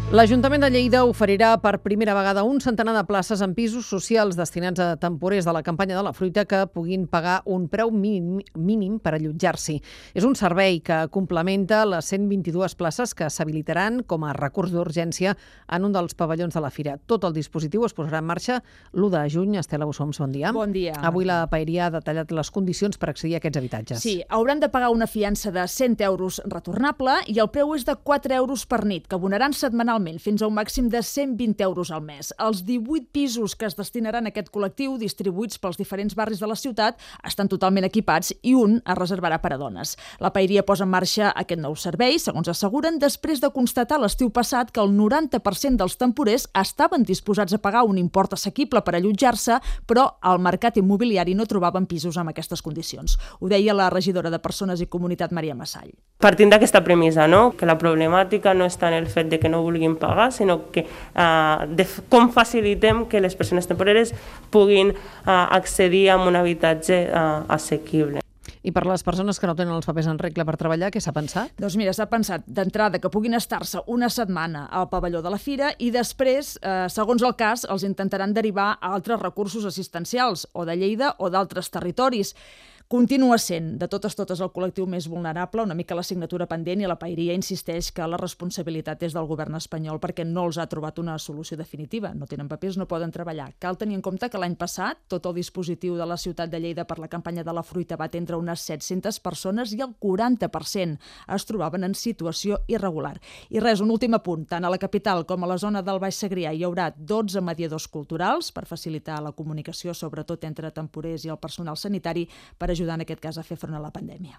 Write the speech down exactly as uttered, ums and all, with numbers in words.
L'Ajuntament de Lleida oferirà per primera vegada un centenar de places en pisos socials destinats a temporers de la campanya de la fruita que puguin pagar un preu mínim, mínim per allotjar-s'hi. És un servei que complementa les cent vint-i-dues places que s'habilitaran com a recurs d'urgència en un dels pavellons de la fira. Tot el dispositiu es posarà en marxa l'u de juny. Estela Bussoms, bon dia. Bon dia. Avui la Paeria ha detallat les condicions per accedir a aquests habitatges. Sí, hauran de pagar una fiança de cent euros retornable i el preu és de quatre euros per nit, que abonaran setmanalment fins a un màxim de cent vint euros al mes. Els divuit pisos que es destinaran a aquest col·lectiu, distribuïts pels diferents barris de la ciutat, estan totalment equipats i un es reservarà per a dones. La Paeria posa en marxa aquest nou servei, segons asseguren, després de constatar l'estiu passat que el noranta per cent dels temporers estaven disposats a pagar un import assequible per allotjar-se, però al mercat immobiliari no trobaven pisos amb aquestes condicions. Ho deia la regidora de Persones i Comunitat, Maria Massall. Partint d'aquesta premissa, no? Que la problemàtica no està en el fet de que no vulguin pagar, sinó que uh, de com facilitem que les persones temporeres puguin uh, accedir a un habitatge uh, assequible. I per les persones que no tenen els papers en regla per treballar, què s'ha pensat? Doncs mira, s'ha pensat d'entrada que puguin estar-se una setmana al pavelló de la fira i després, eh, segons el cas, els intentaran derivar a altres recursos assistencials, o de Lleida o d'altres territoris. Continua sent, de totes totes, el col·lectiu més vulnerable, una mica l'assignatura pendent, i la Paeria insisteix que la responsabilitat és del govern espanyol perquè no els ha trobat una solució definitiva. No tenen papers, no poden treballar. Cal tenir en compte que l'any passat tot el dispositiu de la ciutat de Lleida per la campanya de la fruita va atendre unes set-centes persones i el quaranta per cent es trobaven en situació irregular. I res, un últim apunt. Tant a la capital com a la zona del Baix Segrià hi haurà dotze mediadors culturals per facilitar la comunicació, sobretot entre temporers i el personal sanitari, per ajudar en aquest cas a fer front a la pandèmia.